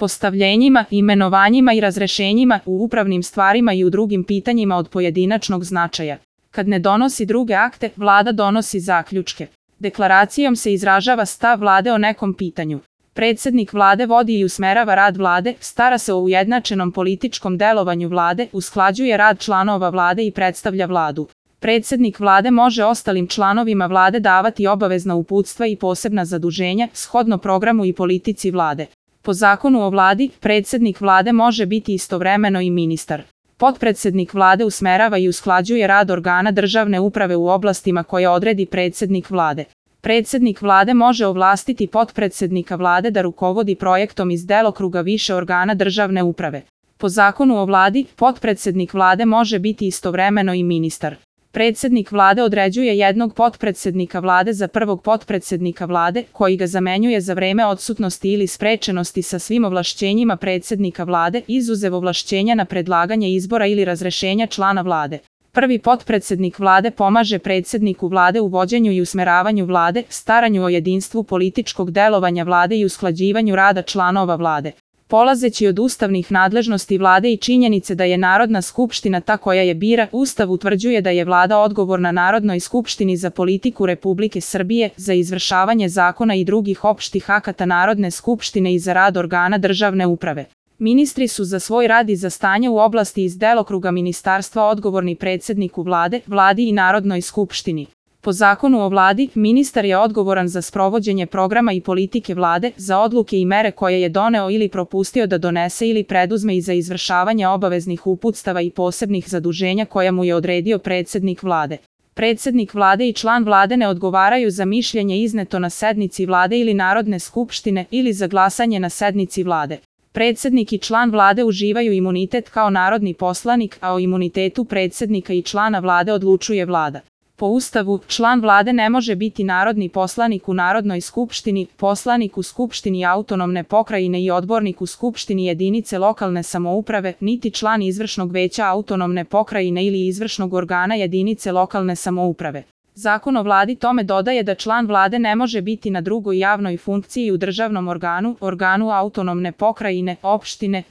postavljenjima, imenovanjima i razrešenjima u upravnim stvarima i u drugim pitanjima od pojedinačnog značaja. Kad ne donosi druge akte, Vlada donosi zaključke. Deklaracijom se izražava stav Vlade o nekom pitanju. Predsjednik Vlade vodi i usmerava rad Vlade, stara se o ujednačenom političkom delovanju Vlade, usklađuje rad članova Vlade i predstavlja Vladu. Predsjednik Vlade može ostalim članovima Vlade davati obavezna uputstva i posebna zaduženja, shodno programu i politici Vlade. Po zakonu o Vladi, predsjednik Vlade može biti istovremeno i ministar. Potpredsjednik Vlade usmerava i usklađuje rad organa državne uprave u oblastima koje odredi predsjednik Vlade. Predsjednik Vlade može ovlastiti potpredsjednika Vlade da rukovodi projektom iz delokruga više organa državne uprave. Po zakonu o Vladi, potpredsjednik Vlade može biti istovremeno i ministar. Predsjednik Vlade određuje jednog potpredsjednika Vlade za prvog potpredsjednika Vlade, koji ga zamenjuje za vreme odsutnosti ili sprečenosti sa svim ovlašćenjima predsjednika Vlade, izuzev ovlašćenja na predlaganje izbora ili razrešenja člana Vlade. Prvi potpredsjednik Vlade pomaže predsjedniku Vlade u vođenju i usmeravanju Vlade, staranju o jedinstvu političkog delovanja Vlade i usklađivanju rada članova Vlade. Polazeći od ustavnih nadležnosti Vlade i činjenice da je Narodna skupština ta koja je bira, Ustav utvrđuje da je Vlada odgovorna Narodnoj skupštini za politiku Republike Srbije, za izvršavanje zakona i drugih opštih akata Narodne skupštine i za rad organa državne uprave. Ministri su za svoj rad i za stanje u oblasti iz delokruga ministarstva odgovorni predsjedniku Vlade, Vladi i Narodnoj skupštini. Po zakonu o Vladi, ministar je odgovoran za sprovođenje programa i politike Vlade, za odluke i mere koje je doneo ili propustio da donese ili preduzme i za izvršavanje obaveznih uputstava i posebnih zaduženja koja mu je odredio predsjednik Vlade. Predsjednik Vlade i član Vlade ne odgovaraju za mišljenje izneto na sednici Vlade ili Narodne skupštine ili za glasanje na sednici Vlade. Predsjednik i član Vlade uživaju imunitet kao narodni poslanik, a o imunitetu predsjednika i člana Vlade odlučuje Vlada. Po Ustavu, član Vlade ne može biti narodni poslanik u Narodnoj skupštini, poslanik u Skupštini autonomne pokrajine i odbornik u Skupštini jedinice lokalne samouprave, niti član izvršnog veća autonomne pokrajine ili izvršnog organa jedinice lokalne samouprave. Zakon o Vladi tome dodaje da član Vlade ne može biti na drugoj javnoj funkciji u državnom organu, organu autonomne pokrajine, opštine,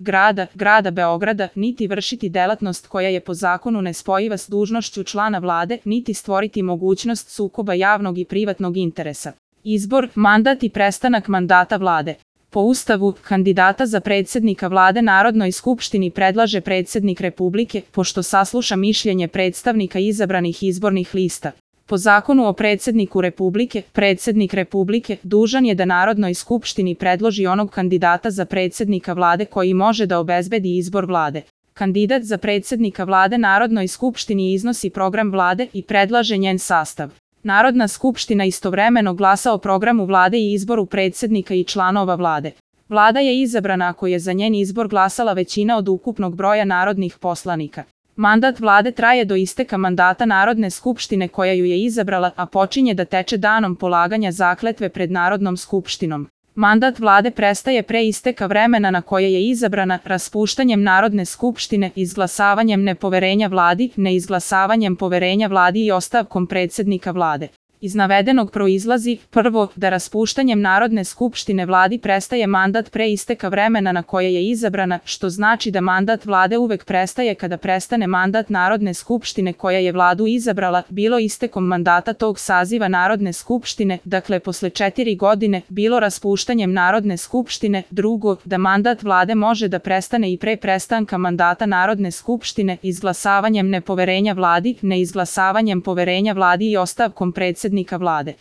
grada Beograda, niti vršiti delatnost koja je po zakonu nespojiva s dužnošću člana Vlade, niti stvoriti mogućnost sukoba javnog i privatnog interesa. Izbor, mandat i prestanak mandata Vlade. Po Ustavu, kandidata za predsjednika Vlade Narodnoj skupštini predlaže predsjednik Republike, pošto sasluša mišljenje predstavnika izabranih izbornih lista. Po zakonu o predsjedniku Republike, predsjednik Republike dužan je da Narodnoj skupštini predloži onog kandidata za predsjednika Vlade koji može da obezbedi izbor Vlade. Kandidat za predsjednika Vlade Narodnoj skupštini iznosi program Vlade i predlaže njen sastav. Narodna skupština istovremeno glasa o programu Vlade i izboru predsjednika i članova Vlade. Vlada je izabrana ako je za njen izbor glasala većina od ukupnog broja narodnih poslanika. Mandat Vlade traje do isteka mandata Narodne skupštine koja ju je izabrala, a počinje da teče danom polaganja zakletve pred Narodnom skupštinom. Mandat Vlade prestaje pre isteka vremena na koje je izabrana, raspuštanjem Narodne skupštine, izglasavanjem nepoverenja Vladi, neizglasavanjem poverenja Vladi i ostavkom predsjednika Vlade. Iz navedenog proizlazi, prvo, da raspuštanjem Narodne skupštine Vladi prestaje mandat pre isteka vremena na koje je izabrana, što znači da mandat Vlade uvek prestaje kada prestane mandat Narodne skupštine koja je Vladu izabrala, bilo istekom mandata tog saziva Narodne skupštine, dakle posle 4 godine, bilo raspuštanjem Narodne skupštine. Drugo, da mandat Vlade može da prestane i pre prestanka mandata Narodne skupštine, izglasavanjem nepoverenja Vladi, neizglasavanjem poverenja Vladi i ostavkom predsjednika Vlade.